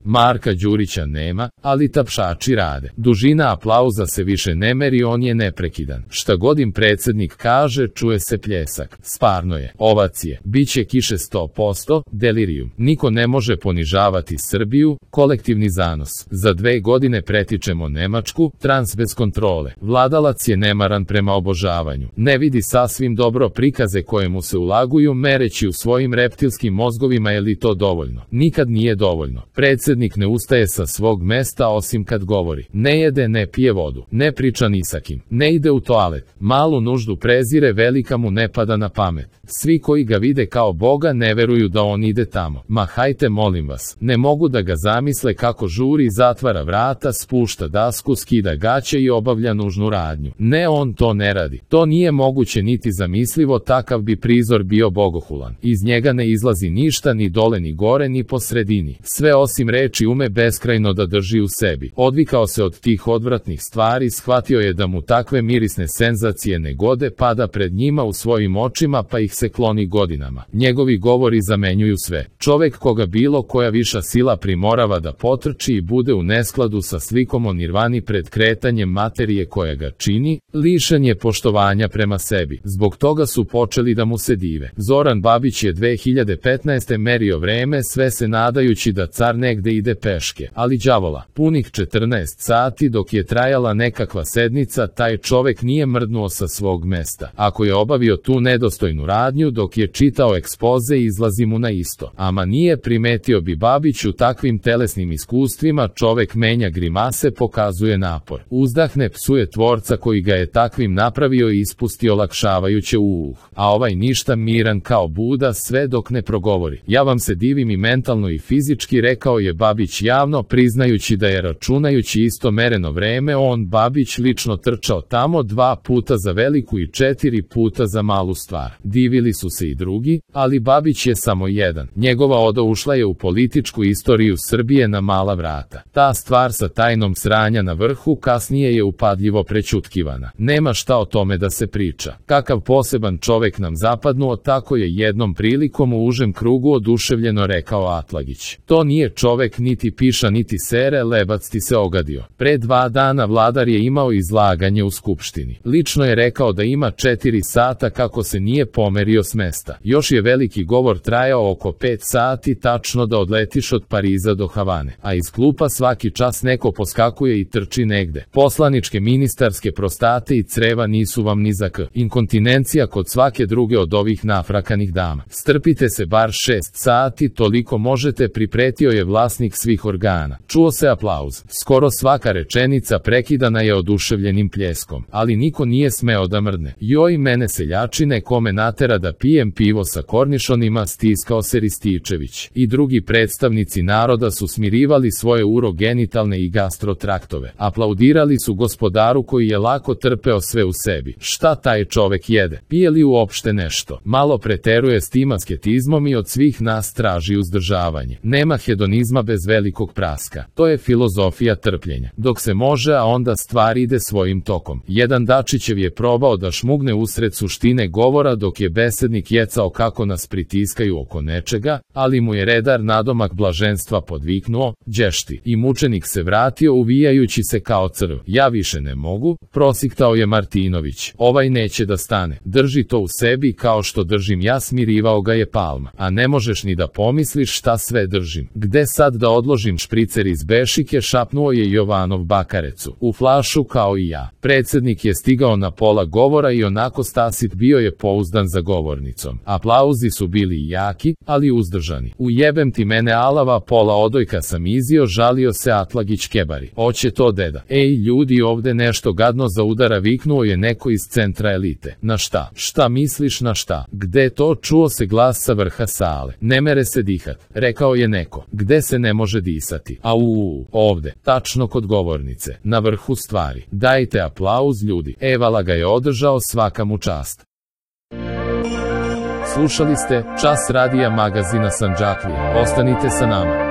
Marka Đurića nema, ali tapšači rade. Dužina aplauza se više ne meri, on je neprekidan. Šta god im predsjednik kaže, čuje se pljesak. Stvarno je. Ovacije. Biće kiše 100%, delirijum. Niko ne može ponižavati Srbiju, kolektivni zanos. Za 2 godine pretičemo Nemačku, trans bez kontrole. Vladalac je nemaran prema obožavanju. Ne vidi sasvim dobro prikaze koje mu se ulaguju, mereći u svojim reptilskim mozgovima je li to dovoljno. Nikad nije dovoljno. Predsjednik ne ustaje sa svog mesta osim kad govori. Ne jede, ne pije vodu. Ne priča ni sa kim. Ne ide u toalet. Malu nuždu prezire, velika mu ne pada na pamet. Svi koji ga vide kao Boga ne veruju da on ide tamo. Ma hajte molim vas. Ne mogu da ga zamisle kako žuri, zatvara vrata, spušta dasku, skida gaće i obavlja nužnu radnju. Ne, on to ne radi. To nije moguće niti zamislivo, takav bi prizor bio bogohulan. Iz njega ne izlazi ništa, ni dole, ni gore, ni po sredini. Sve osim reči ume beskrajno da drži u sebi. Odvikao se od tih odvratnih stvari, shvatio je da mu takve mirisne senzacije ne gode, pada pred njima u svojim očima pa ih se kloni godinama. Njegovi govori zamenjuju sve. Čovek koga bilo koja viša sila primorava da potrči i bude u neskladu sa slikom o nirvani pred kretanjem materije koja ga čini, lišen je poštovanja prema sebi. Zbog toga su počeli da mu se dive. Zoran Babić je 2015. merio vreme, sve se nadajući da car negde ide peške, ali đavola. Punih 14 sati dok je trajala nekakva sednica, taj čovek nije mrdnuo sa svog mesta. Ako je obavio tu nedostojnu radnju dok je čitao ekspoze, izlazi mu na isto. Ama nije primetio bi Babić u takvim telesnim iskustvima, čovek menja grimase, pokazuje napor. Uzdahne, psuje tvorca koji ga je takvim napravio i ispusti olakšavajuće a ovaj ništa, miran kao Buda, sve dok ne progovori. Ja vam se divim i mentalno i fizički, rekao je Babić javno, priznajući da je računajući isto mereno vreme on, Babić, lično trčao tamo 2 puta za veliku i 4 puta za malu stvar. Divili su se i drugi, ali Babić je samo jedan. Njegova oda ušla je u političku istoriju Srbije na mala vrata. Ta stvar sa tajnom sranja na vrhu kasnije je upadljivo prećutkivana. Nema šta o tome da se priča. Kakav poseban čovek nam zapadnuo, tako je jednom prilikom u užem krugu oduševljeno rekao Atlagić. To nije čovek, niti piša, niti sere, Lebac ti se ogadio. Pre 2 dana vladar je imao izlaganje u Skupštini. Lično je rekao da ima 4 sata kako se nije pomerio s mesta. Još je veliki govor trajao oko 5 sati, tačno da odletiš od Pariza do Havane. A iz klupa svaki čas neko poskakuje i trči negde. Poslaničke, ministarske prostate i creva nisu vam ni za k. Inkontinencija kod svake druge od ovih nafrakanih dama. Strpite se bar 6 sati, toliko možete, pripretio je vlasnik svih organa. Čuo se aplauz. Skoro svaka rečenica prekidana je oduševljenim pljeskom, ali niko nije smeo da mrdne. Joj mene seljačine, kome natera da pijem pivo sa kornišonima, stiskao se Rističević. I drugi predstavnici naroda su smirivali svoje urogenitalne i gastrotraktove. Aplaudirali su gospodaru koji je lako trpeo sve u sebi. Šta taj čovek jede? Pije li uopšte nešto? Malo preteruje s tim asketizmom i od svih nas traži uzdržavanje. Nema hedonizma bez velikog praska. To je filozofija trpljenja. Dok se može, a onda stvar ide svojim tokom. Jedan Dačićev je probao da šmugne usred suštine govora dok je besednik jecao kako nas pritiskaju oko nečega, ali mu je redar nadomak blaženstva podviknuo, đešti, i mučenik se vratio uvijajući se kao crv. Ja više ne mogu, prosiktao je Martinović. Ovaj neće da stane. Drži to u sebi kao što držim ja, smirivao ga je Palma. A ne možeš ni da pomisliš šta sve držim. Gde sad da odložim špricer iz bešike, šapnuo je Jovanov Bakarecu. U flašu kao i ja. Predsjednik je stigao na pola govora i onako stasit bio je pouzdan za govornicom. Aplauzi su bili jaki, ali uzdržani. Ujebem ti mene alava, pola odojka sam izio, žalio se Atlagić kebari. Oće to deda. Ej ljudi, ovde nešto gadno za udara, viknuo je neko iz centra elite. Na šta? Šta misliš na šta? Gde to? Čuo se glas sa vrha sale. Ne mere se dihat, rekao je neko. Gde se ne može disati? Ovde, tačno kod govornice, na vrhu stvari. Dajte aplauz ljudi. Evala ga je održao, svaka mu čast. Slušali ste Čas radija magazina Sandžaklija. Ostanite sa nama.